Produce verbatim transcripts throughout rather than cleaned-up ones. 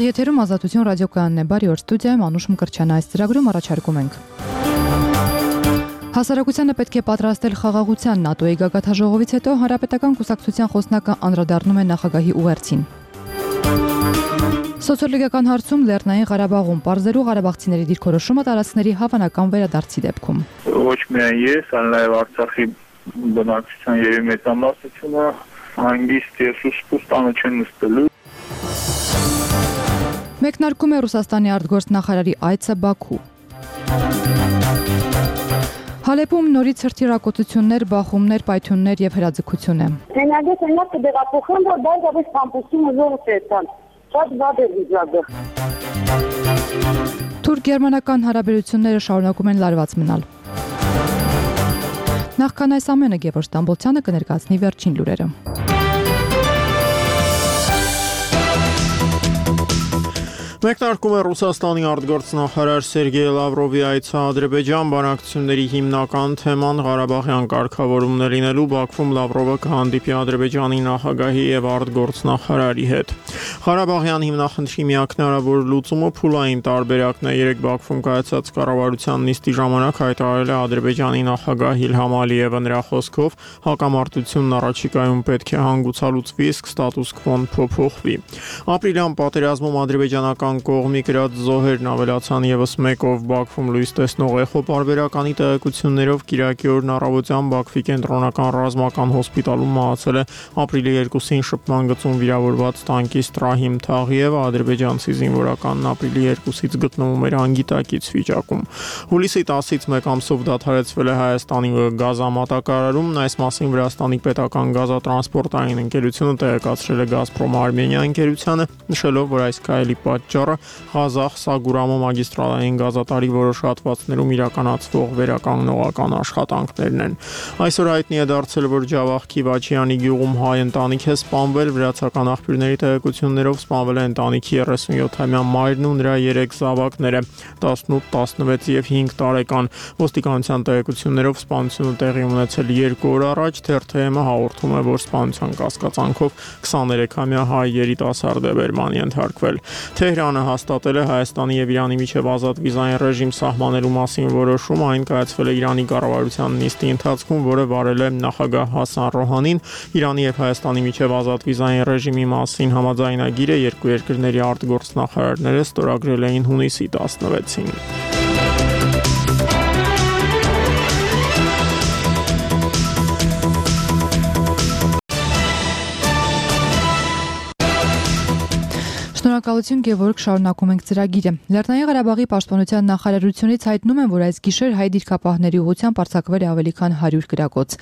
Եթերում Ազատություն ռադիոկայանն է, բարի օր, ստուդիայում Անուշ Մկրտչյանը, այս ծրագրում առաջարկում ենք. Հասարակությանը պետք է պատրաստել խաղաղության, ՆԱՏՕ-ի գագաթնաժողովից հետո Հանրապետական կուսակցության խոսնակը անդրադառնում է նախագահի ուղերձին. Սոցիոլոգիական հարցում Լեռնային Ղարաբաղում պարզելու ղարաբաղցիների դիրքորոշումը տարածքների հավանական վերադարձի դեպքում. Ոչ միայն ես, այլ նաև Արցախի բնակչության երևի մեծամասնությունը հանգիստ եւ սուսպուս տանը չեն նստելու. Մեկնարկում է Ռուսաստանի արտգործնախարարի այցը Բաքու. Հալեպում նորից հրթիռակոծություններ, բախումներ, պայթյուններ եւ հրաձգություն է. Հենագետ այնքան կդեղափոխեն, որ դա դեպի կամպուսի ուժով տեսան. Շատ վատ է վիճակը. Թուրք-գերմանական հարաբերությունները շարունակում են լարված մնալ. Նախքան այս ամենը Գևորգ Ստամբոլցյանը կներկայացնի վերջին լուրերը. Մեկնարկում է Ռուսաստանի արտգործնախարար Սերգեյ Լավրովի այցը Ադրբեջան, բանակցությունների հիմնական թեման Ղարաբաղյան կարգավորումն է լինելու, Բաքվում Լավրովը կհանդիպի Ադրբեջանի նախագահի եւ արտգործնախարարի հետ. Ղարաբաղյան հիմնախնդրի միակ հնարավոր լուծումը փուլային տարբերակն է. Երեկ Բաքվում կայացած կառավարության նիստի ժամանակ հայտարարել է Ադրբեջանի նախագահ Իլհամ Ալիևը. Նրա խոսքով հակամարտությունն առաջիկայում պետք է հանգուցալուծվի, իսկ ստատուս քվոն փոփոխվի. Ապրիլյան պատերազմում ադրբեջանական կողմի գրած զոհերն ավելացան եւս մեկով. Բաքվում լույս տեսնող Էխո պարբերականի տեղեկություններով կիրակի օրն առավոտյան Բաքվի կենտրոնական ռազմական հոսպիտալում մահացել է ապրիլի երկուսին շփման գծում վիրավորված տանկիստ Ռահիմ Թաղիևը. Ադրբեջանցի զինվորականն ապրիլի երկուսից գտնվում էր անգիտակից վիճակում. Հուլիսի տասից մեկ ամսով դադարեցվել է Հայաստանի գազամատակարարումն. Այս մասին Վրաստանի պետական գազատրանսպորտային ընկերությունը տեղեկացրել է Գազպրոմ Արմենիա ընկերությանը, նշելով, որ այս քայլի պատճառը Ղազախ-Սագուրամո մագիստրալային գազատարի որոշ հատվածներում իրականացվող վերականգնողական աշխատանքներն են. Այսօր հայտնի է դարձել, որ Ջավախ Քիվաչյանի գյուղում հայ ընտանիք է սպանվել. Վրացական աղբյուրների տեղեկություններով սպանվել է ընտանիքի երեսունյոթամյա մայրն ու նրա երեք զավակները՝ տասնութ, տասնվեց եւ հինգ տարեկան. Ոստիկանության տեղեկություններով սպանությունը տեղի ունեցել երկու օր առաջ. Թերթ-ը հաղորդում է, որ սպանության կասկածանքով քսաներեքամյա հայ երիտասարդ է բերման ենթարկվել. Թեհրանը հաստատել է Հայաստանի եւ Իրանի միջև ազատ վիզային ռեժիմ սահմանելու մասին որոշում. Այն կայացվել է Իրանի կառավարության նիստի ընթացքում, որը վարել է նախագահ Հասան Ռոհանին. Իրանի եւ Հայաստանի միջև ազատ վիզային ռեժիմի մասին համաձայնագիրը երկու երկրների արտգործնախարարները ստորագրել էին հունիսի տասնվեցին. Շնորհակալություն Գևորգ, շարունակում ենք ծրագիրը. Լեռնային Ղարաբաղի պաշտպանության նախարարությունից հայտնում են, որ այս գիշեր հայ դիրքապահների ուղղությամբ արձակվել է ավելի քան հարյուր կրակոց.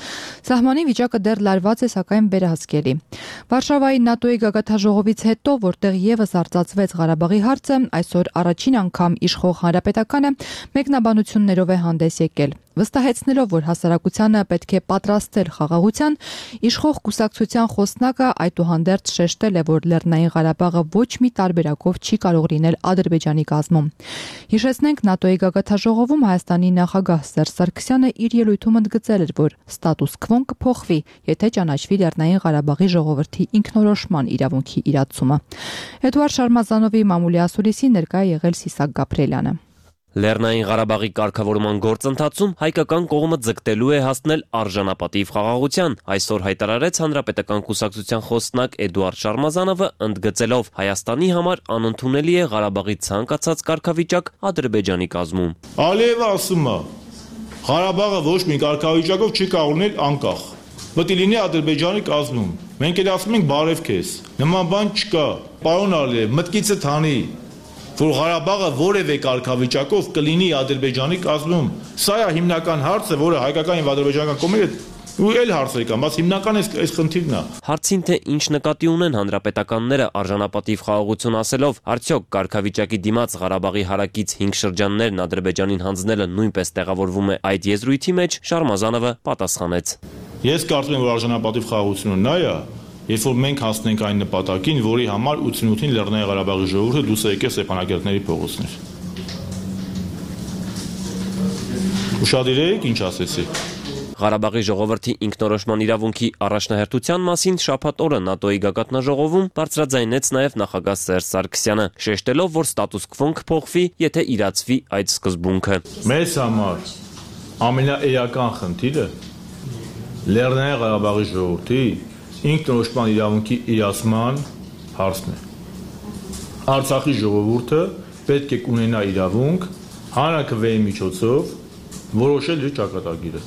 Սահմանի վիճակը դեռ լարված է, սակայն վերահսկելի. Վարշավայի ՆԱՏՕ-ի գագաթնաժողովից հետո, որտեղ եւս արծացվեց Ղարաբաղի հարցը, այսօր առաջին անգամ իշխող հանրապետականը մեկնաբանություններով է հանդես եկել. Վստահեցնելով, որ հասարակությանը պետք է պատրաստել խաղաղության, իշխող կուսակցության խոսնակը այդուհանդերձ շեշտել է, որ Լեռնային Ղարաբաղը ոչ մի տարբերակով չի կարող լինել Ադրբեջանի կազմում. Հիշեցնենք, ՆԱՏՕ-ի գագաթնաժողովում Հայաստանի նախագահ Սերժ Սարգսյանը իր ելույթում ընդգծել էր, որ ստատուս քվոն կփոխվի, եթե ճանաչվի Լեռնային Ղարաբաղի ժողովրդի ինքնորոշման իրավունքի իրացումը. Էդուարդ Շարմազանովի մամուլի ասուլիսին ներկա է եղել Սիսակ Գաբրելյանը. Լեռնային Ղարաբաղի կարգավորման գործընթացում հայկական կողմը ձգտելու է հասնել արժանապատիվ խաղաղության. Այսօր հայտարարեց Հանրապետական կուսակցության խոսնակ Էդուարդ Շարմազանովը, ընդգծելով Հայաստանի համար անընդունելի է Ղարաբաղի ցանկացած կարգավիճակ Ադրբեջանի կազմում. Ալիևը ասում է, Ղարաբաղը ոչ մի կարգավիճակով չի կարող լինել անկախ. Պետք է լինի Ադրբեջանի կազմում. Մենք էլ ասում ենք բարև քեզ. Նման բան չկա. Պարոն Ալիև, մտքիցդ հանի, որ Ղարաբաղը որևէ կարգավիճակով կլինի Ադրբեջանի կազմում. Սա է հիմնական հարցը, որը հայկական եւ ադրբեջանական կողմերը ու էլ հարցեր կան, բայց հիմնական այս խնդիրն է. Հարցին թե ինչ նկատի ունեն հանրապետականները արժանապատիվ խաղաղություն ասելով, արդյոք կարգավիճակի դիմաց Ղարաբաղի հարակից հինգ շրջաններն Ադրբեջանին հանձնելը նույնպես տեղավորվում է այդ եզրույթի մեջ, Շարմազանովը պատասխանեց. Ես կարծում եմ, որ արժանապատիվ խաղաղությունը նա է, երբ որ մենք հասնենք այն նպատակին, որի համար ութանասունութին Լեռնային Ղարաբաղի ժողովուրդը դուրս է եկել Ստեփանակերտների փողոցներ։ Ուշադիր եք, ինչ ասեցի։ Ղարաբաղի ժողովրդի ինքնորոշման իրավունքի առաջնահերթության մասին շաբաթ օրը ՆԱՏՕ-ի գագաթնաժողովում բարձրաձայնեց նաև նախագահ Սերժ Սարգսյանը, շեշտելով, որ ստատուս քվոն կփոխվի, եթե իրացվի այդ սկզբունքը։ Մեզ համար ամենաէական խնդիրը Լեռնային Ղարաբաղի ժողովրդի ինքնորոշման իրավունքի իրացման հարցն է։ Արցախի ժողովուրդը պետք է ունենա իրավունք հանրաքվեի միջոցով որոշել իր ճակատագիրը։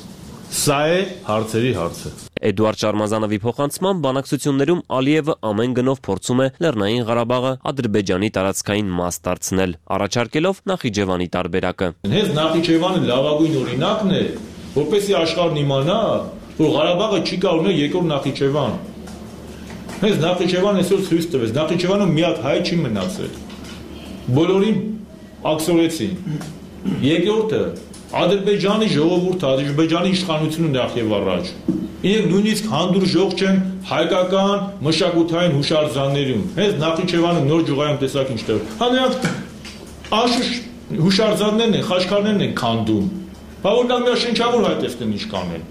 Սա է հարցերի հարցը։ Էդուարդ Շարմազանովի փոխանցմամբ բանակցություններում Ալիևը ամեն գնով փորձում է Լեռնային Ղարաբաղը Ադրբեջանի տարածքային մաս դարձնել, առաջարկելով Նախիջևանի տարբերակը։ Հենց Նախիջևանը լավագույն օրինակն է, որպեսզի աշխարհն իմանա, որ Ղարաբաղը չի կարող ունենալ երկրորդ Նախիջևան։ Հենց Նախիջևանը այսօր ցույց տվեց, Նախիջևանում մի հատ հայ չի մնացել։ Բոլորին աքսորեցին։ Երկրորդը Ադրբեջանի ժողովուրդը, Ադրբեջանի իշխանությունը նախ եւ առաջ։ Իրենք նույնիսկ հանդուրժող չեն հայկական մշակութային հուշարձաններում։ Հենց Նախիջևանը նոր ջուղայում տեսակ ինչտեղ։ Հա նրանք անշուշտ հուշարձաններն են, խաչքարներն են քանդում։ Բա որ նա միաշնչավոր հայ տեսնեն ինչ կանեն։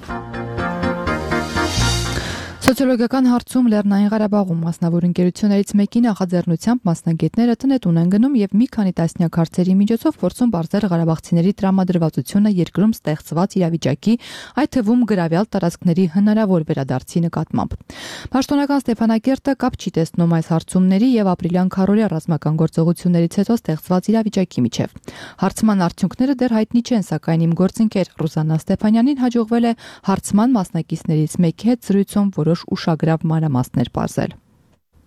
Սոցիոլոգիական հարցում Լեռնային Ղարաբաղում մասնավոր ընկերություններից մեկի նախաձեռնությամբ մասնագետները տնետուն են գնում եւ մի քանի տասնյակ հարցերի միջոցով փորձում բարձր ղարաբաղցիների տրամադրվածությունը երկրում ստեղծված իրավիճակի, այդ թվում գրավյալ տարածքների հնարավոր վերադարձի նկատմամբ։ Պաշտոնական Ստեփանակերտը կապ չի տեսնում այս հարցումների եւ ապրիլյան քարորիա ռազմական գործողություններից հետո ստեղծված իրավիճակի միջև։ Հարցման արդյունքները դեռ հայտնի չեն, սակայն իմ գործընկեր Ռուզաննա Ստեփանյանին հաջողվել է հարցման մասնակիցներից մեկի հետ զրույցում որոշ ուշագրավ մանրամասներ պարզել։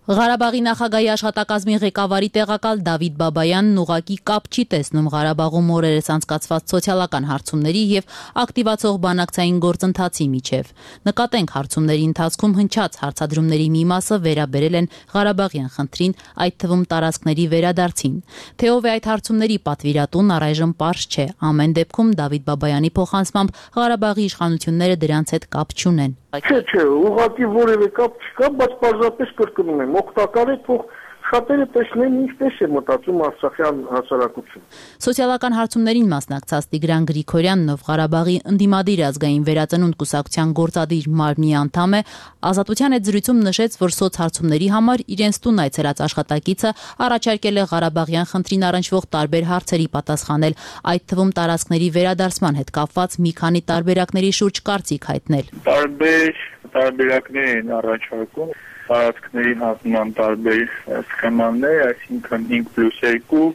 Ղարաբաղի նախագահի աշխատակազմի ղեկավարի տեղակալ Դավիթ Բաբայանն ուղղակի կապ չի տեսնում Ղարաբաղում օրերս անցկացված սոցիալական հարցումների եւ ակտիվացող բանակցային գործընթացի միջև։ Նկատենք հարցումների ընթացքում հնչած հարցադրումների մի մասը վերաբերել են Ղարաբաղյան խնդրին, այդ թվում տարածքների վերադարձին։ Թե ով է այդ հարցումների պատվիրատուն, առայժմ պարզ չէ։ Ամեն դեպքում Դավիթ Բաբայանի փոխանցմամբ Ղարաբաղի իշխանությունները դրանց հետ կապ չունեն։ Չէ, չէ, ուղղակի որևէ կապ չկա, բայց պարզապես կրկնում եմ, օգտակար է թող շատերը տեսնեն ինչպես է մտածում արցախյան հասարակությունը։ Սոցիալական հարցումներին մասնակցած Տիգրան Գրիգորյանն, ով Ղարաբաղի ընդդիմադիր ազգային վերածնունդ կուսակցության գործադիր մարմնի անդամ է, Ազատության հետ զրույցում նշեց, որ սոցհարցումների համար իրենց տուն այցելած աշխատակիցը առաջարկել է Ղարաբաղյան խնդրին առնչվող տարբեր հարցերի պատասխանել, այդ թվում տարածքների վերադարձման հետ կապված մի քանի տարբերակների շուրջ կարծիք հայտնել։ Տարբեր տարբերակներ են առաջարկում տարածքների հատման տարբեր սխեմաներ, այսինքն հինգ պլյուս երկու,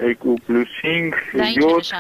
երկու պլյուս հինգ, յոթ,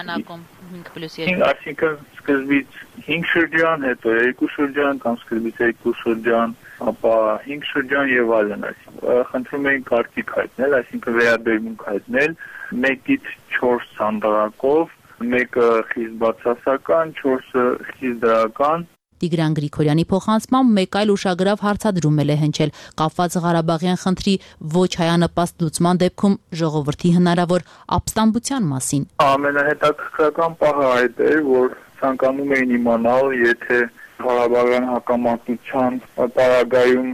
հինգ պլյուս երկու, այսինքն սկզբից հինգ շրջան, հետո երկու շրջան կամ սկզբից երկու շրջան, ապա հինգ շրջան եւ այլն, այսինքն խնդրում էին կարծիք հայտնել, այսինքն վերաբերմունք հայտնել մեկից չորս սանդղակով, մեկը խիստ բացասական, չորսը խիստ դրական։ Տիգրան Գրիգորյանի փոխանցմամբ մեկ այլ ուշագրավ հարցադրում է հնչել կապված Ղարաբաղյան խնդրի ոչ հայանպաստ լուծման դեպքում ժողովրդի հնարավոր ապստամբության մասին։ Ամենահետաքրքրական պահը այդ է, որ ցանկանում էին իմանալ, եթե Ղարաբաղյան հակամարտության պարագայում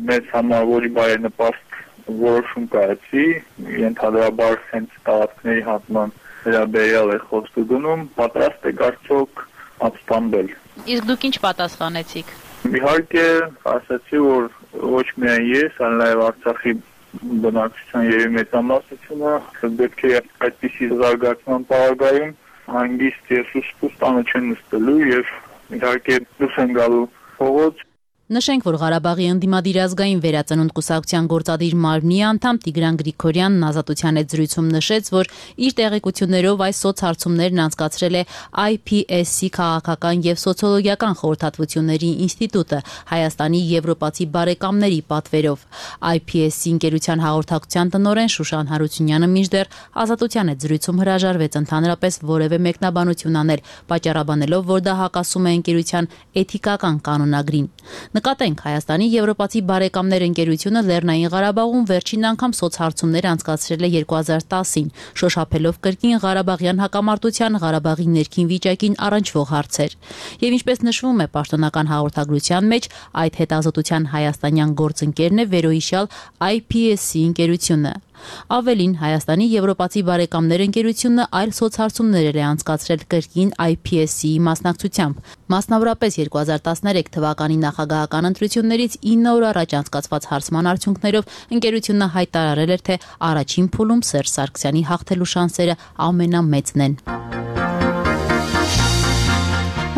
մեծ համավորի բարենպաստ որոշում կայացի, ենթադրաբար հենց տարածքների հատման վերաբերյալ է խոսքը գնում, պատրաստ է արդյոք ապստամբել։ Իսկ դուք ինչ պատասխանեցիք։ Իհարկե, ասացի, որ ոչ միայն ես, այլ նաև Արցախի բնակչության երևի մեծամասնությունը պետք է այդպիսի զարգացման պարագայում հանգիստ եւ սուսպուս տանը չեն նստելու եւ իհարկե դուրս են գալու փողոց։ Նշենք, որ Ղարաբաղի ընդդիմադիր ազգային վերածնունդ կուսակցության գործադիր մարմնի անդամ Տիգրան Գրիգորյանն Ազատության հետ զրույցում նշեց, որ իր տեղեկություններով այս սոցհարցումներն անցկացրել է I P S C քաղաքական եւ սոցիոլոգիական խորհրդատվությունների ինստիտուտը Հայաստանի եվրոպացի բարեկամների պատվերով։ I P S C ընկերության հաղորդակցության տնօրեն Շուշան Հարությունյանը մինչդեռ Ազատության հետ զրույցում հրաժարվեց ընդհանրապես որևէ մեկնաբանություն անել, պատճառաբանելով, որ դա հակասում է ընկերության էթիկական կանոնագրին։ Նկատենք, Հայաստանի եվրոպացի բարեկամներ ընկերությունը Լեռնային Ղարաբաղում վերջին անգամ սոցհարցումներ անցկացրել է երկու հազար տասին, շոշափելով կրկին Ղարաբաղյան հակամարտության, Ղարաբաղի ներքին վիճակին առնչվող հարցեր։ Եվ ինչպես նշվում է պաշտոնական հաղորդագրության մեջ, այդ հետազոտության հայաստանյան գործընկերն է վերոհիշյալ I P S C ընկերությունը։ Ավելին, Հայաստանի եվրոպացի բարեկամներ ընկերությունը այլ սոցհարցումներ է անցկացրել կրկին I P S C-ի մասնակցությամբ։ Մասնավորապես երկու հազար տասներեք թվականի նախագահական ընտրություններից ինը օր առաջ անցկացված հարցման արդյունքներով ընկերությունը հայտարարել էր, թե առաջին փուլում Սերժ Սարգսյանի հաղթելու շանսերը ամենամեծն են։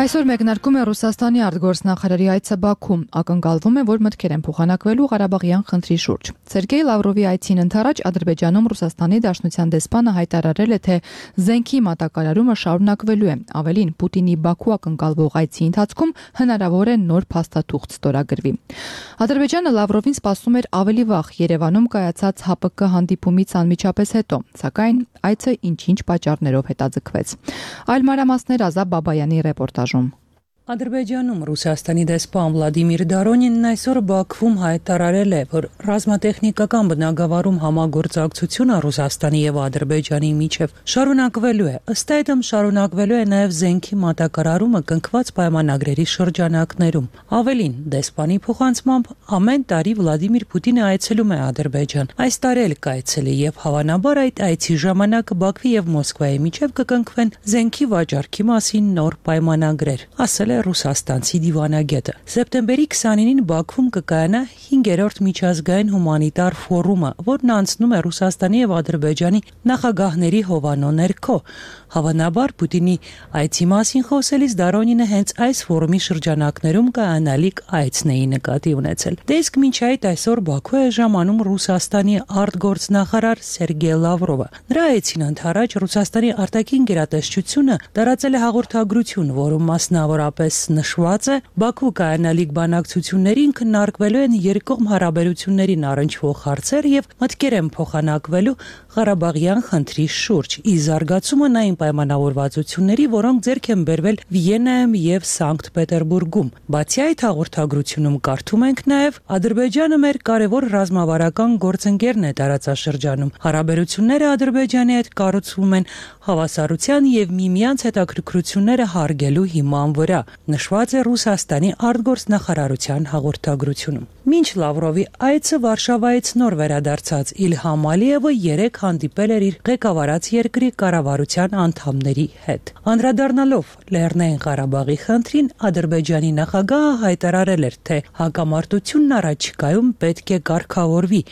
Այսօր մեկնարկում է Ռուսաստանի արտգործնախարարի այցը Բաքու։ Ակնկալվում է, որ մտքեր են փոխանակվելու Ղարաբաղյան խնդրի շուրջ։ Սերգեյ Լավրովի այցին ընդառաջ Ադրբեջանում Ռուսաստանի Դաշնության դեսպանը հայտարարել է, թե զենքի մատակարարումը շարունակվելու է։ Ավելին, Պուտինի Բաքու ակնկալվող այցի ընթացքում հնարավոր է նոր փաստաթուղթ ստորագրվի։ Ադրբեջանը Լավրովին սպասում էր ավելի վաղ Երևանում կայացած H P K հանդիպումից անմիջապես հետո, սակայն այցը ինչ-ինչ պատճառներով հետաձգվեց։ Այլ մանրամասներ Ազատ Բաբայանի ռեպորտաժում։ Ադրբեջանում Ռուսաստանի դեսպան Վլադիմիր Դարոնինն այսօր Բաքվում հայտարարել է, որ ռազմատեխնիկական բնագավառում համագործակցությունը Ռուսաստանի եւ Ադրբեջանի միջև շարունակվելու է։ Ըստ այդմ շարունակվելու է նաեւ զենքի մատակարարումը կնքված պայմանագրերի շրջանակներում։ Ավելին, դեսպանի փոխանցմամբ ամեն տարի Վլադիմիր Պուտինը այցելում է Ադրբեջան։ Այս տարի էլ կայցելի եւ հավանաբար այդ այցի ժամանակ Բաքվի եւ Մոսկվայի միջև կկնքվեն զենքի վաճառքի մասին նոր պայմանագրեր, ասել Ռուսաստանցի դիվանագետը։ Սեպտեմբերի քսանինին Բաքվում կկայանա հինգերորդ միջազգային հումանիտար ֆորումը, որն անցնում է Ռուսաստանի եւ Ադրբեջանի նախագահների հովանո ներքո։ Հավանաբար Պուտինի այցի մասին խոսելիս Դարոնինը հենց այս ֆորումի շրջանակներում կայանալիք այցն էի նկատի ունեցել։ Դե իսկ մինչ այդ այսօր Բաքու է ժամանում Ռուսաստանի արտգործնախարար Սերգեյ Լավրովը։ Նրա այցին ընդառաջ Ռուսաստանի արտաքին գերատեսչությունը տարածել է հաղորդագրություն, որում մասնավորապես նշված է Բաքու կայանալիք բանակցություններին քննարկվելու են երկկողմ հարաբերություններին առնչվող հարցեր եւ մտքեր են փոխանակվելու Ղարաբաղյան խնդրի շուրջ։ Ի զարգացումը նային պայմանավորվածությունների, որոնք ձեռք են բերվել Վիեննայում եւ Սանկտ Պետերբուրգում։ Բացի այդ հաղորդագրությունում կարդում ենք նաեւ Ադրբեջանը մեր կարևոր ռազմավարական գործընկերն է տարածաշրջանում։ Հարաբերությունները Ադրբեջանի հետ կառուցվում են հավասարության եւ միմյանց հետաքրքրությունները հարգելու հիման վրա, նշված է Ռուսաստանի արտգործնախարարության հաղորդագրությունում։ Մինչ Լավրովի այցը Վարշավայից նոր վերադարձած Իլհամ Ալիևը երեք հանդիպել էր իր ղեկավարած երկրի կառավարության անդամների հետ։ Անդրադառնալով Լեռնային Ղարաբաղի խնդրին, Ադրբեջանի նախագահը հայտարարել էր, թե հակամարտությունն առաջիկայում պետք է կարգավորվի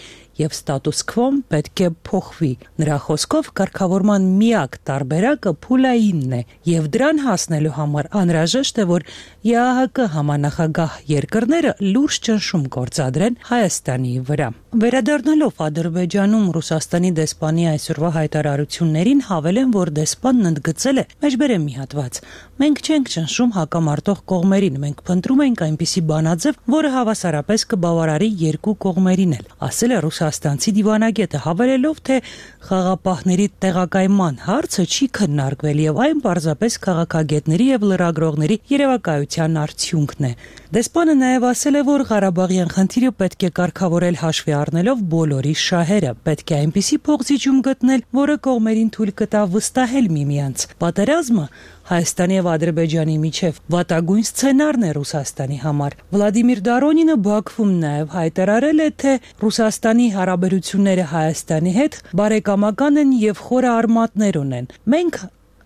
եւ ստատուս քվոն պետք է փոխվի։ Նրա խոսքով կարգավորման միակ տարբերակը փուլայինն է եւ դրան հասնելու համար անհրաժեշտ է, որ Ե Ա Հ Կ համանախագահ երկրները լուրջ ճնշում գործադրեն Հայաստանի վրա։ Վերադառնալով Ադրբեջանում Ռուսաստանի դեսպանի այսօրվա հայտարարություններին, հավելեն, որ դեսպանն ընդգծել է. «Մեջբերեմ մի հատված։ Մենք չենք ճնշում հակամարտող կողմերին, մենք փնտրում ենք այնպիսի բանաձև, որը հավասարապես կբավարարի երկու կողմերին էլ», ասել է Ռուսաստանցի դիվանագետը, հավելելով, թե խաղապահների տեղակայման հարցը չի քննարկվել եւ այն պարզապես քաղաքագետների եւ լրագրողների երևակայության արդյունքն է։ Դեսպանը նաեւ ասել է, որ Ղարաբաղյան խնդիրը պետք է կարգավորել հաշվի առնելով բոլորի շահերը, պետք է այնպիսի փոխզիջում գտնել, որը կողմերին թույլ կտա վստահել միմյանց։ Պատերազմը Հայաստանի եւ Ադրբեջանի միջև վատագույն սցենարն է Ռուսաստանի համար։ Վլադիմիր Դարոնինը Բաքվում նաեւ հայտարարել է, թե Ռուսաստանի հարաբերությունները Հայաստանի հետ բարեկամական են եւ խորը արմատներ ունեն։ Մենք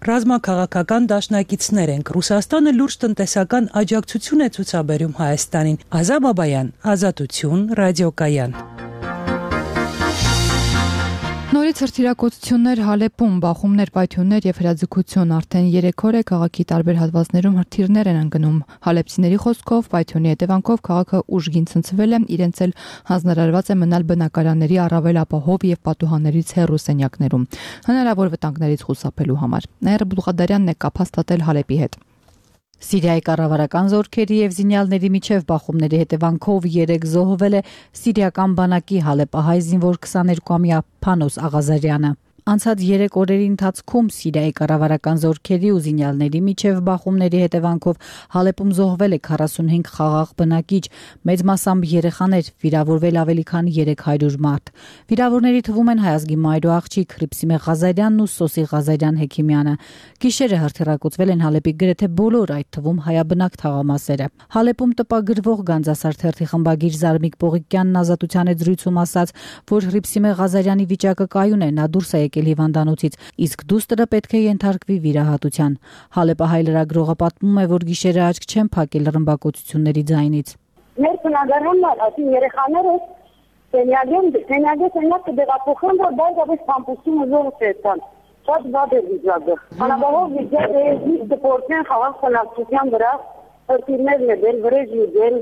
ռազմաքաղաքական դաշնակիցներ ենք։ Ռուսաստանը լուրջ տնտեսական աջակցություն է ցուցաբերում Հայաստանին։ Ազատ Բաբայան, Ազատություն, ռադիոկայան։ Նորից հրթիռակոծություններ Հալեպում, բախումներ, պայթյուններ եւ հրաձգություն արդեն երեք օր է քաղաքի տարբեր հատվածներում հրթիռներ են ընկնում։ Հալեպցիների խոսքով պայթյունի հետևանքով քաղաքը ուժգին ցնցվել է, իրենց էլ հանձնարարված է մնալ բնակարանների առավել ապահով եւ պատուհաններից հեռու սենյակներում, հնարավոր վտանգներից խուսափելու համար։ Նաիրա Բուլղադարյանն է կապ հաստատել Հալեպի հետ։ Սիրիայի կառավարական զորքերի եւ զինյալների միջև բախումների հետևանքով երեք զոհվել է սիրիական բանակի հալեպահայ զինվոր քսաներկուամյա Փանոս Աղազարյանը։ Անցած երեք օրերի ընթացքում Սիրիայի կառավարական զորքերի ու զինյալների միջև բախումների հետևանքով Հալեպում զոհվել է քառասունհինգ խաղաղ բնակիչ, մեծ մասամբ երեխաներ, վիրավորվել ավելի քան երեք հարյուր մարդ։ Վիրավորների թվում են հայազգի մայրու աղջիկ Հրիփսիմե Ղազարյանն ու Սոսի Ղազարյան Հեքիմյանը։ Գիշերը հրթիռակոծվել են Հալեպի գրեթե բոլոր, այդ թվում հայաբնակ թաղամասերը։ Հալեպում տպագրվող Գանձասար թերթի խմբագիր Զարմիկ Պողիկյանն Ազատության հետ զրույցում ասաց, որ Հրիփսիմե Ղազարյանի վիճակը կայուն է, նա դուրս է եկել հիվանդանոցից, իսկ դուստրը պետք է ենթարկվի վիրահատության։ Հալեպահայ լրագրողը պատմում է, որ գիշերը աչք չեն փակել ռմբակոծությունների ձայնից։ Մեր բնակարանն ասի երեխաները սենյակեն սենյակը սենյակ կդեղափոխեն, որ բարձրապես կամպուսում զորը ցեցան։ Շատ վատ է վիճակը։ Անաբավով վիճակը է դպորտեն խաղաղ բնակչության վրա հրթիռներն է դել, վրեժ յուղել,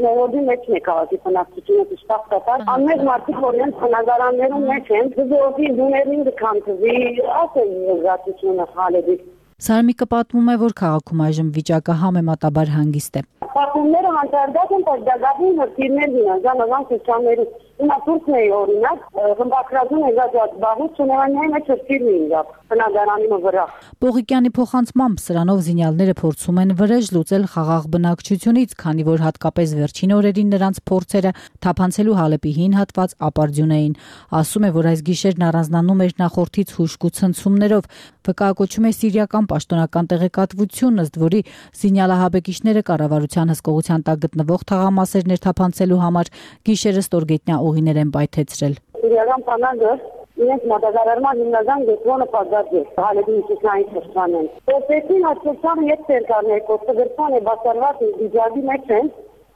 նորոդի մեջ է քաղաքի բնակչությունը դժտախտատար, անմեծ մարդիկ, որ իրենց բնակարաններում մեջ են, զորքի դուներին դքանցվի, ասել զգացությունը Հալեպի։ Սարմիկը պատմում է, որ քաղաքում այժմ վիճակը համեմատաբար հանգիստ է։ Պատումները հանդարտած են, բայց դագաղին հրթիռներ դինան, զանազան սոցիալներում։ Հիմա Թուրքն է օրինակ, խմբակրածուն է գազած բաղուց, ունենային մեջ հրթիռն էին գապ, բնակարանի վրա։ Պողիկյանի փոխանցմամբ սրանով զինյալները փորձում են վրեժ լուծել խաղաղ բնակչությունից, քանի որ հատկապես վերջին օրերին նրանց փորձերը թափանցելու Հալեպի հին հատված ապարդյուն էին։ Ասում է, որ այս գիշերն առանձնանում էր նախորդից հուժկու ցնցումներով, վկայակոչում է սիրիական պաշտոնական տեղեկատվություն, ըստ որի զինյալահաբեկիչները կառավարության հսկողության տակ գտնվող թաղամասեր ներթափանցելու համար գիշերը ստորգետնյա ուղիներ են պայթեցրել։ Սիրիական բանակը իրենց մատակարարման հիմնական գծոնը պատված է Հալեպի միջուկային շրջանին։ Պրոցեսին հաշվեցան ետ ցերկարներ, կոստագրցան է բացառված վիճակի մեջ են,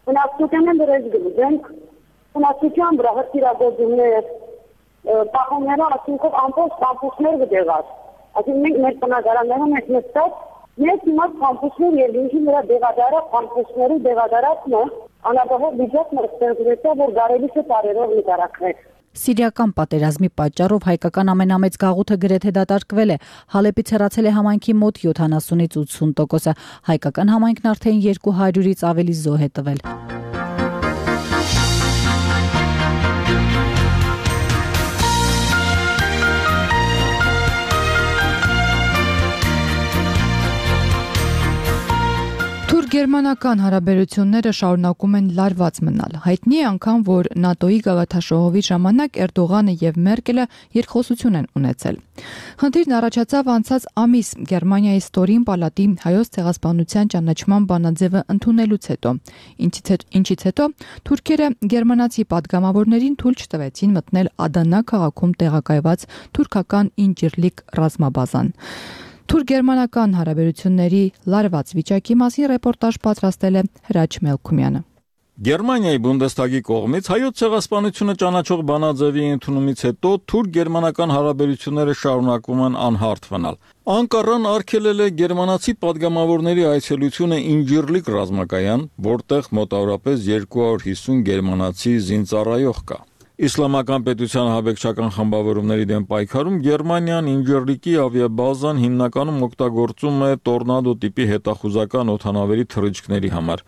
բնակչության են դրես գլուզենք, բնակչության վրա հրթիռագործումներ, պահումները ասինքով ամբողջ կամպուսներ գտեղած։ Այսինքն մենք մեր բնակարաններում ենք նստած, մենք հիմա կամպուսներ եւ ինքնի նրա դեղադարակ կամպուսների դեղադարակն է, անաբավով վիճակն է ստեղծվել, որ կարելի է տարերով նկարագրել։ Սիրիական պատերազմի պատճառով հայկական ամենամեծ գաղութը գրեթե դատարկվել է։ Հալեպից հեռացել է համայնքի մոտ յոթանասունից ութսուն տոկոսը։ Հայկական համայնքն արդեն երկու հարյուրից ավելի զոհ է տվել։ Թուրք-գերմանական հարաբերությունները շարունակում են լարված մնալ։ Հայտնի է անգամ, որ ՆԱՏՕ-ի գագաթնաժողովի ժամանակ Էրդողանը եւ Մերկելը երկխոսություն են ունեցել։ Խնդիրն առաջացավ անցած ամիս Գերմանիայի Ստորին պալատի հայոց ցեղասպանության ճանաչման բանաձևը ընդունելուց հետո, ինչից հետո թուրքերը գերմանացի падգամավորներին թույլ չտվեցին մտնել Ադանա քաղաքում տեղակայված թուրքական Ինջիրլիկ ռազմաբազան։ Թուրք-գերմանական հարաբերությունների լարված վիճակի մասին ռեպորտաժ պատրաստել է Հրաչ Մելքումյանը։ Գերմանիայի Բունդեսթագի կողմից հայոց ցեղասպանությունը ճանաչող բանաձևի ընդունումից հետո թուրք-գերմանական հարաբերությունները շարունակվում են անհարթ մնալ։ Անկարան արգելել է գերմանացի падգամավորների այցելությունը Ինջիրլիկ ռազմակայան, որտեղ մոտավորապես երկու հարյուր հիսուն գերմանացի զինծառայող կա։ Իսլամական պետության հավեկչական խմբավորումների դեմ պայքարում Գերմանիան Ինջիրլիկի ավիաբազան հիմնականում օգտագործում է տորնադո տիպի հետախուզական օդանավերի թռիչքների համար։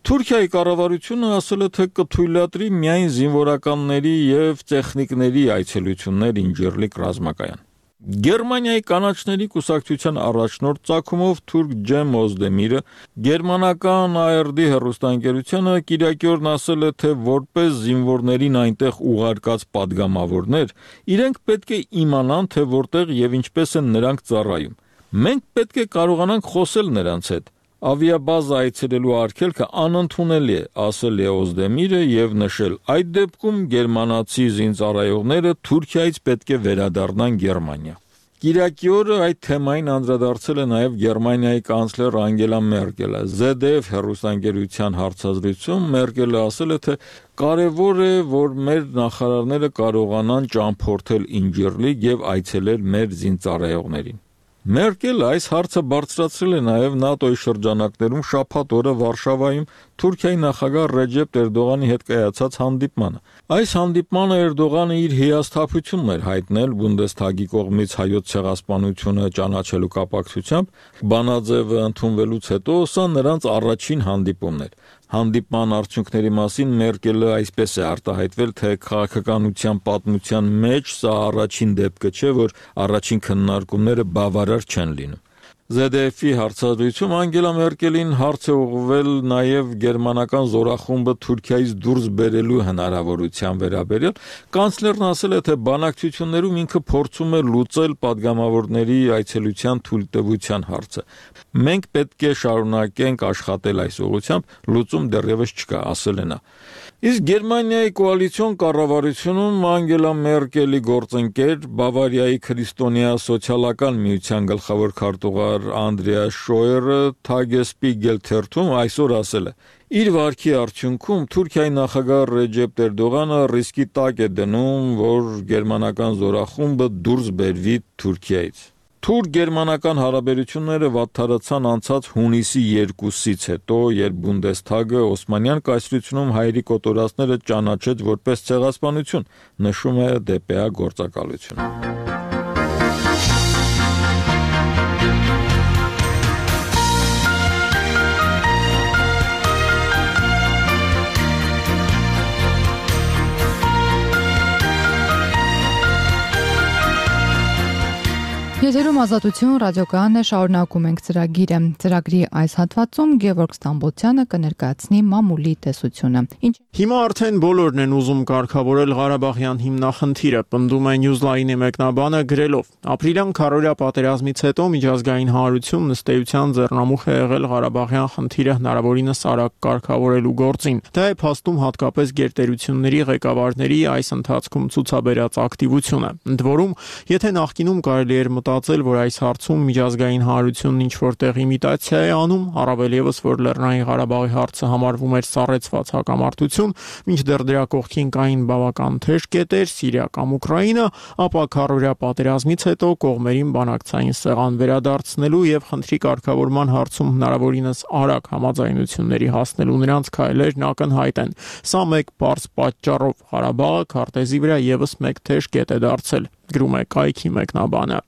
Թուրքիայի կառավարությունը ասել է, թե կթույլատրի միայն զինվորականների եւ տեխնիկների այցելություններ Ինջիրլիկ ռազմակայան։ Գերմանիայի կանաչների կուսակցության առաջնորդ Ծագումով թուրք Ջեմ Օզդեմիրը գերմանական Այ Էր Դի հեռուստաընկերությանը կիրակի օրն ասել է, թե որպես զինվորներին այնտեղ ուղարկած падգամավորներ, իրենք պետք է իմանան, թե որտեղ եւ ինչպես են նրանք ծառայում։ Մենք պետք է կարողանանք խոսել նրանց հետ։ Ավիաբազա այցելելու արգելքը անընդունելի է, ասել է Օզդեմիրը եւ նշել, այդ դեպքում գերմանացի զինծառայողները Թուրքիայից պետք է վերադառնան Գերմանիա։ Կիրակի օրը այդ թեմային անդրադարձել է նաեւ Գերմանիայի կանցլեր Անգելա Մերկելը։ զե դե էֆ հեռուստաընկերության հարցազրույցում Մերկելը ասել է, թե կարևոր է, որ մեր նախարարները կարողանան ճամփորդել Ինջիրլիկ եւ այցելել մեր զինծառայողներին։ Մերկելը այս հարցը բարձրացրել է նաև ՆԱՏՕ-ի շրջանակներում շաբաթ օրը Վարշավայում Թուրքիայի նախագահ Ռեջեփ Էրդողանի հետ կայացած հանդիպմանը։ Այս հանդիպմանը Էրդողանը իր հիասթափությունն էր հայտնել Բունդեսթագի կողմից հայոց ցեղասպանությունը ճանաչելու կապակցությամբ, բանաձևը ընդունվելուց հետո սա նրանց առաջին հանդիպումն էր։ Հանդիպման արդյունքների մասին Մերկելը այսպես է արտահայտվել, թե քաղաքականության պատմության մեջ սա առաջին դեպքը չէ, որ առաջին քննարկումները բավարար չեն լինում։ զե դե էֆ-ի հարցազրույցում Անգելա Մերկելին հարց է ուղղվել նաև գերմանական զորախումբը Թուրքիայից դուրս բերելու հնարավորության վերաբերյալ։ Կանցլերն ասել է, թե բանակցություններում ինքը փորձում է լուծել падգամավորների այցելության թույլտվության հարցը։ Մենք պետք է շարունակենք աշխատել այս ուղղությամբ, լուծում դեռևս չկա, ասել է նա։ Իսկ Գերմանիայի կոալիցիոն կառավարությունում Անգելա Մերկելի գործընկեր Բավարիայի քրիստոնյա սոցիալական միության գլխավոր քարտուղար Անդրեաս Շոյերը Թագեսպիգել թերթում այսօր ասել է. Իր վարքի արդյունքում Թուրքիայի նախագահ Ռեջեփ Էրդողանը ռիսկի տակ է դնում, որ գերմանական զորախումբը դուրս բերվի Թուրքիայից։ Թուրք-գերմանական հարաբերությունները վատթարացան անցած հունիսի երկուսից հետո, երբ Բունդեսթագը Օսմանյան կայսրությունում հայերի կոտորածները ճանաչեց որպես ցեղասպանություն, նշում է դե պե է գործակալությունը։ Եթերում ազատություն ռադիոկայանն է, շարունակում ենք ծրագիրը։ Ծրագրի այս հատվածում Գևորգ Ստամբոլցյանը կներկայացնի մամուլի տեսությունը։ Ինչ Հիմա արդեն բոլորն են ուզում կարգավորել Ղարաբաղյան հիմնախնդիրը, պնդում է Newsline-ի մեկնաբանը գրելով. Ապրիլյան քառօրյա պատերազմից հետո միջազգային հանրությունն ըստ էության ձեռնամուխ է եղել Ղարաբաղյան խնդիրը հնարավորինս արագ կարգավորելու գործին։ Դա է փաստում հատկապես գերտերությունների ղեկավարների այս ընթացքում ցուցաբերած ակտիվությունը։ Ընդ որում, եթե նախկինում կարելի էր մտածել, որ այս հարցում միջազգային հանրությունն ինչ-որ տեղ իմիտացիա է անում, առավել ևս որ Լեռնային Ղարաբաղի հարցը համարվում էր սառեցված հակամարտություն, մինչդեռ դրա կողքին կային բավական թեժ կետեր, Սիրիա կամ Ուկրաինա, ապա քառօրյա պատերազմից հետո կողմերին բանակցային սեղան վերադարձնելու եւ խնդրի կարգավորման հարցում հնարավորինս արագ համաձայնությունների հասնելու նրանց քայլերն ակնհայտ են։ Սա մեկ բարձ պատճառով Ղարաբաղը քարտեզի վրա եւս մեկ թեժ կետ է դարձել, գրում է կայքի մեկնաբանը։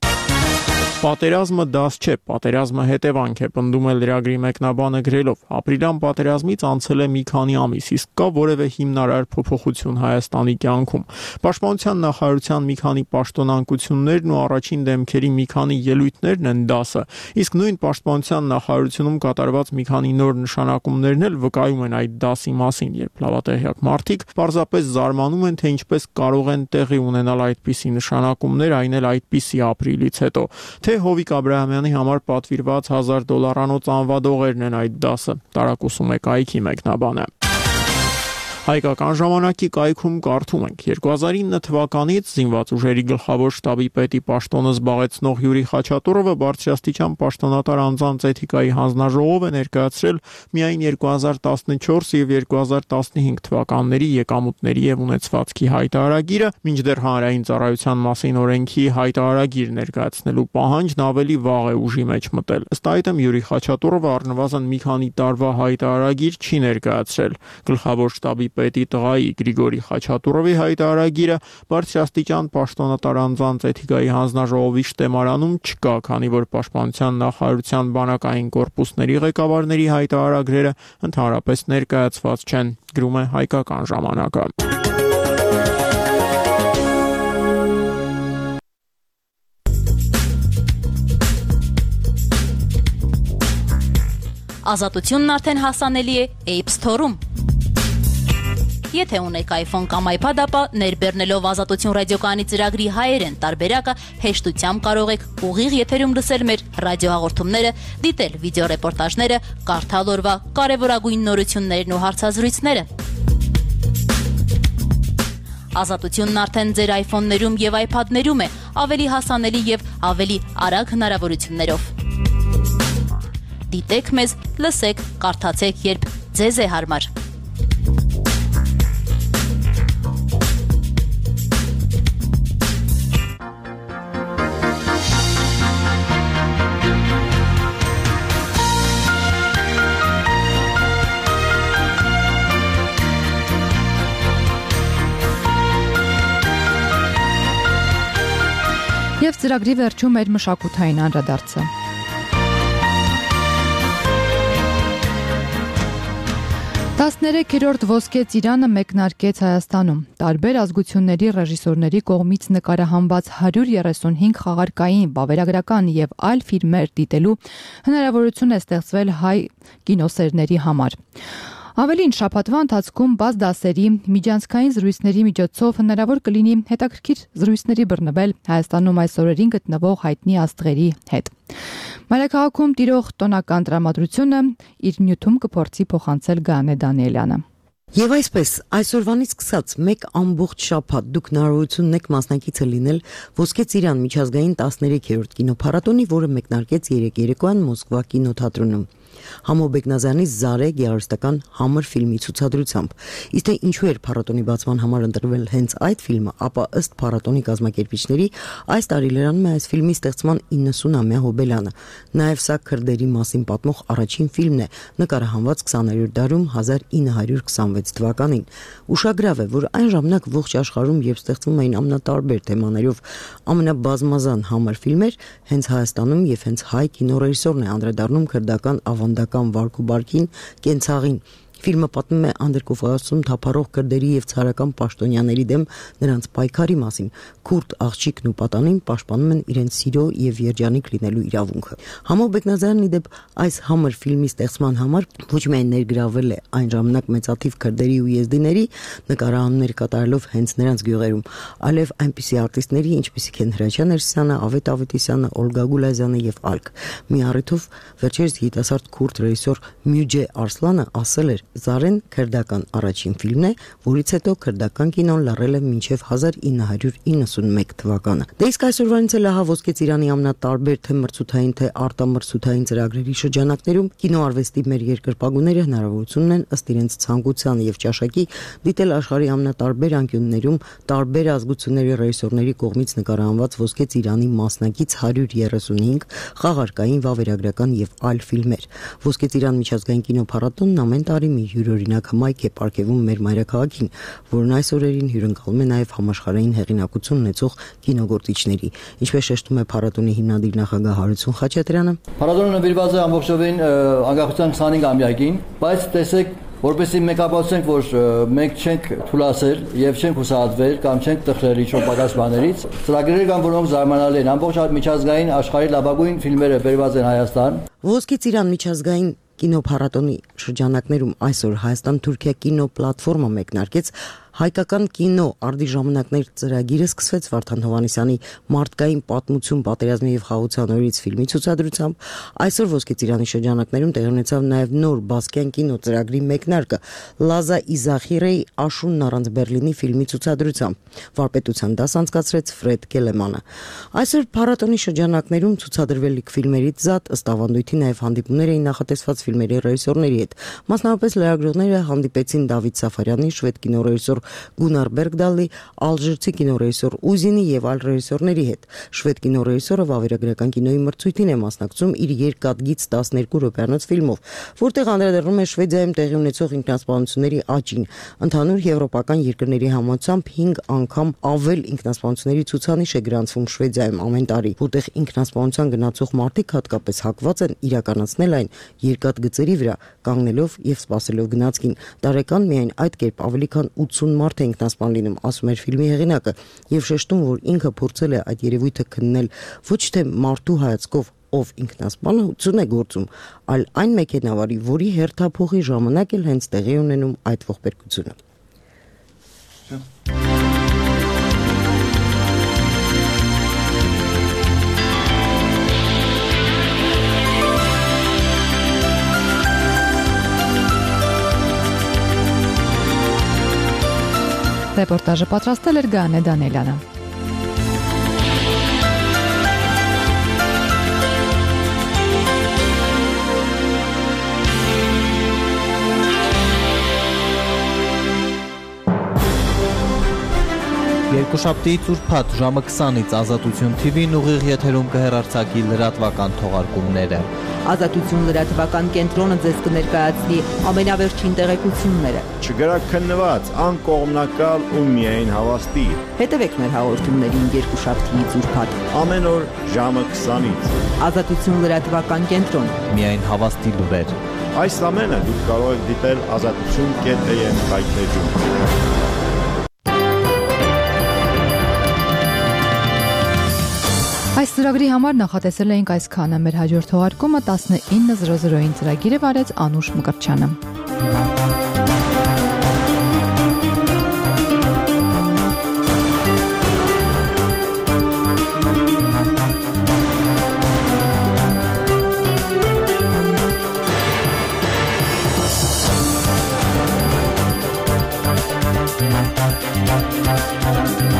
Պատերազմը դաս չէ, պատերազմը հետևանք է, պնդում է լրագրի մեկնաբանը գրելով. Ապրիլյան պատերազմից անցել է մի քանի ամիս, իսկ կա որևէ հիմնարար փոփոխություն Հայաստանի կյանքում։ Պաշտպանության նախարարության մի քանի պաշտոնանկություններն ու առաջին դեմքերի մի քանի ելույթներն են դասը, իսկ նույն պաշտպանության նախարարությունում կատարված մի քանի նոր նշանակումներն էլ վկայում են այդ դասի մասին, երբ լավատեղյակ մարդիկ պարզապես զարմանում են, թե ինչպես կարող են տեղի ունենալ այդպիսի նշանակումներ, այն էլ այդպիսի ապրիլից հետո։ Թե Հովիկ Աբրահամյանի համար պատվիրված հազար դոլարանոց անվադողերն են այդ դասը, տարակուսում է կայքի մեկնաբանը։ Հայկական ժամանակի կայքում կարդում ենք. երկու հազար ինը թվականից զինված ուժերի գլխավոր շտաբի պետի պաշտոնը զբաղեցնող Յուրի Խաչատուրովը բարձրաստիճան պաշտոնատար անձանց էթիկայի հանձնաժողով է ներկայացրել միայն երկու հազար տասնչորս եւ երկու հազար տասնհինգ թվականների եկամուտների եւ ունեցվածքի հայտարարագիրը, մինչդեռ հանրային ծառայության մասին օրենքի հայտարարագիր ներկայացնելու պահանջն ավելի վաղ է ուժի մեջ մտել։ Ըստ այդմ Յուրի Խաչատուրովը առնվազն մի քանի տարվա հայտարարագիր չի ներկայացրել։ Գլխավոր շտաբի պետի տղայի Գրիգորի Խաչատուրովի հայտարարագիրը բարձրաստիճան պաշտոնատար անձանց էթիկայի հանձնաժողովի շտեմարանում չկա, քանի որ պաշտպանության նախարարության բանակային կորպուսների ղեկավարների հայտարարագրերը ընդհանրապես ներկայացված չեն, գրում է Հայկական ժամանակը։ Ազատությունն արդեն հասանելի է App Store-ում։ Եթե ունեք iPhone կամ iPad, ապա ներբեռնելով Ազատություն ռադիոկայանի ծրագրի հայերեն տարբերակը հեշտությամբ կարող եք ուղիղ եթերում լսել մեր ռադիոհաղորդումները, դիտել վիդեոռեպորտաժները, կարդալ օրվա կարևորագույն նորություններն ու հարցազրույցները։ Ազատությունն արդեն ձեր iPhone-ներում եւ iPad-ներում է, ավելի հասանելի եւ ավելի արագ հնարավորություններով։ Դիտեք մեզ, լսեք, կարդացեք, երբ ձեզ է հարմար։ Եվ ծրագրի վերջում մեր մշակութային անդրադարձը։ տասներեքերորդ ոսկե ծիրանը մեկնարկեց Հայաստանում։ Տարբեր ազգությունների ռեժիսորների կողմից նկարահանված հարյուր երեսունհինգ խաղարկային, վավերագրական եւ այլ ֆիլմեր դիտելու հնարավորություն է ստեղծվել հայ կինոսերների համար։ Ավելին, շաբաթվա ընթացքում բաց դասերի միջանցքային զրույցների միջոցով հնարավոր կլինի հետաքրքիր զրույցների բռնվել Հայաստանում այս օրերին գտնվող հայտնի աստղերի հետ։ Մայրաքաղաքում տիրող տոնական տրամադրությունը իր նյութում կփորձի փոխանցել Գանե Դանիելյանը։ Եվ այսպես, այսօրվանից սկսած մեկ ամբողջ շաբաթ դուք հնարավորություն ունեք մասնակիցը լինել Ոսկե ծիրան միջազգային տասներեքերորդ կինոփառատոնի, որը մեկնարկեց երեկ երեկոյան Մոսկվա կինոթատրոնում։ Համո Բեկնազյանի Զարե գեղարվեստական համր ֆիլմի ցուցադրությամբ։ Իսկ թե ինչու էր փառատոնի բացման համար ընտրվել հենց այդ ֆիլմը, ապա ըստ փառատոնի կազմակերպիչների այս տարի լրանում է այս ֆիլմի ստեղծման իննսունամյա հոբելյանը։ Նաև սա քրդերի մասին պատմող առաջին ֆիլմն է, նկարահանված քսաներորդ դարում հազար ինը հարյուր քսանվեց թվականին։ Ուշագրավ է, որ այն ժամանակ ողջ աշխարհում երբ ստեղծվում էին ամենատարբեր թեմաներով ամենաբազմազան համր ֆիլմեր, հենց Հայաստանում եւ հենց հայ կինոռեժիսորն է անդրադառնում քրդական ավանդական վարք ու բարքին, կենցաղին։ Ֆիլմը պատմում է Անդրկովկասում թափառող քրդերի եւ ցարական պաշտոնյաների դեմ նրանց պայքարի մասին։ Քուրդ աղջիկն ու պատանին պաշտպանում են իրենց սիրո եւ երջանիկ լինելու իրավունքը։ Համո Բեկնազյանն իդեպ այս համր ֆիլմի ստեղծման համար ոչ միայն ներգրավել է այն ժամանակ մեծաթիվ քրդերի ու եզդիների նկարահանումներ կատարելով հենց նրանց գյուղերում, այլև այնպիսի արտիստների, ինչպիսիք են Հրաչյա Ներսիսյանը, Ավետ Ավետիսյանը, Օլգա Գուլազյանը եւ այլք։ Մի առիթով վերջերս երիտասարդ քուրդ ռեժիսոր Մյուջե Արսլանը ասել էր. Զարեն քրդական առաջին ֆիլմն է, որից հետո քրդական կինոն լռել է մինչև հազար ինը հարյուր իննսունմեկ թվականը։ Դե իսկ այսօրվանից էլ ահա Ոսկե ծիրանի ամենատարբեր թե մրցութային թե արտամրցութային ծրագրերի շրջանակներում կինոարվեստի մեր երկրպագուները հնարավորություն ունեն ըստ իրենց ցանկության եւ ճաշակի դիտել աշխարհի ամենատարբեր անկյուններում տարբեր ազգությունների ռեժիսորների կողմից նկարահանված Ոսկե ծիրանի մասնակից հարյուր երեսունհինգ խաղարկային, վավերագրական եւ այլ ֆիլմեր։ Ոսկե ծիրան միջազգային կինոփառատոնն ամեն տարի մի յուրօրինակ հմայք է պարգևում մեր մայրաքաղաքին, որն այս օրերին հյուրընկալում է նաև համաշխարհային հեղինակություն ունեցող կինոգործիչների, ինչպես շեշտում է փառատոնի հիմնադիր նախագահ Հարություն Խաչատրյանը։ Փառատոնը նվիրված է ամբողջովին անկախության քսանհինգամյակին, բայց տեսեք, որպեսզի մենք ապացուցենք, որ մենք չենք թուլացել եւ չենք հուսահատվել կամ չենք տխրել ինչ-որ պակաս բաներից, ծրագրեր կան, որոնք զարմանալի են։ Ամբողջ միջազգային աշխարհի լավագույն ֆիլմերը բերված են Հայաստան։ Ոսկե ծիրան միջազգային կինոփառատոնի շրջանակներում այսօր Հայաստան-Թուրքիա կինո պլատֆորմը մեկնարկեց հայկական կինո արդի ժամանակներ ծրագիրը սկսվեց Վարդան Հովհաննիսյանի Մարդկային պատմություն պատերազմի եւ խաղաղության օրից ֆիլմի ցուցադրությամբ։ Այսօր Ոսկե ծիրանի շրջանակներում տեղի ունեցավ նաեւ նոր բասկյան կինո ծրագրի մեկնարկը Լազա Իզախիրեի Աշունն առանց Բերլինի ֆիլմի ցուցադրությամբ։ Վարպետության դաս անցկացրեց Ֆրեդ Կելեմանը։ Այսօր փառատոնի շրջանակներում ցուցադրվելիք ֆիլմերից զատ ըստ ավանդույթի նաեւ հանդիպումներ էին նախատեսված ֆիլմերի ռեժիսորների հետ։ Մասնավորապես լրագրողները հանդիպեցին Դավիթ Սաֆարյանի, շվեդ կինոռեժիսոր Գունար Բերգդալի, ալժիրցի կինոռեժիսոր Ուզինի եւ այլ ռեժիսորների հետ։ Շվեդ կինոռեժիսորը վավերագրական կինոյի մրցույթին է մասնակցում իր երկաթգիծ տասներկու րոպեանոց ֆիլմով, որտեղ անդրադառնում է Շվեդիայում տեղի ունեցող ինքնասպանությունների աճին։ Ընդհանուր եվրոպական երկրների համաձայնությամբ հինգ անգամ ավել ինքնասպանությունների ցուցանիշ է գրանցվում Շվեդիայում ամեն տարի, որտեղ ինքնասպանության գնացող մարդիկ հատկապես հակված են իրականացնել այն երկաթգծերի վրա, կանգնելով եւ սպասելով գնացքին։ Տարեկան միայն այդ կերպ ավելի քան ութսուն մարդ է ինքնասպան լինում, ասում էր ֆիլմի հեղինակը, եւ շեշտում, որ ինքը փորձել է այդ երևույթը քննել ոչ թե մարդու հայացքով, ով ինքնասպանություն է գործում, այլ այն մեքենավարի, որի հերթափոխի ժամանակ էլ հենց տեղի ունենում այդ ողբերգությունը։ Ռեպորտաժը պատրաստել էր Գանե Դանիելյանը։ Երկուշաբթիից ուրբաթ ժամը քսանից Ազատություն Թի Վին ուղիղ եթերում կհեռարձակի լրատվական թողարկումները։ Ազատություն լրատվական կենտրոնը ձեզ կներկայացնի ամենավերջին տեղեկությունները։ Չգրաքննված, անկողմնակալ ու միայն հավաստի։ Հետևեք մեր հաղորդումներին երկուշաբթիից ուրբաթ ամեն օր ժամը քսանից։ Ազատություն լրատվական կենտրոն։ Միայն հավաստի լուրեր։ Այս ամենը դուք կարող եք դիտել ազատություն կետ էմ հայտնեջում։ Այս ծրագրի համար նախատեսել էինք այսքանը։ Մեր հաջորդ թողարկումը տասնինը զրո զրոին ծրագիրը վարեց Անուշ Մկրտչյանը։ We'll be right back.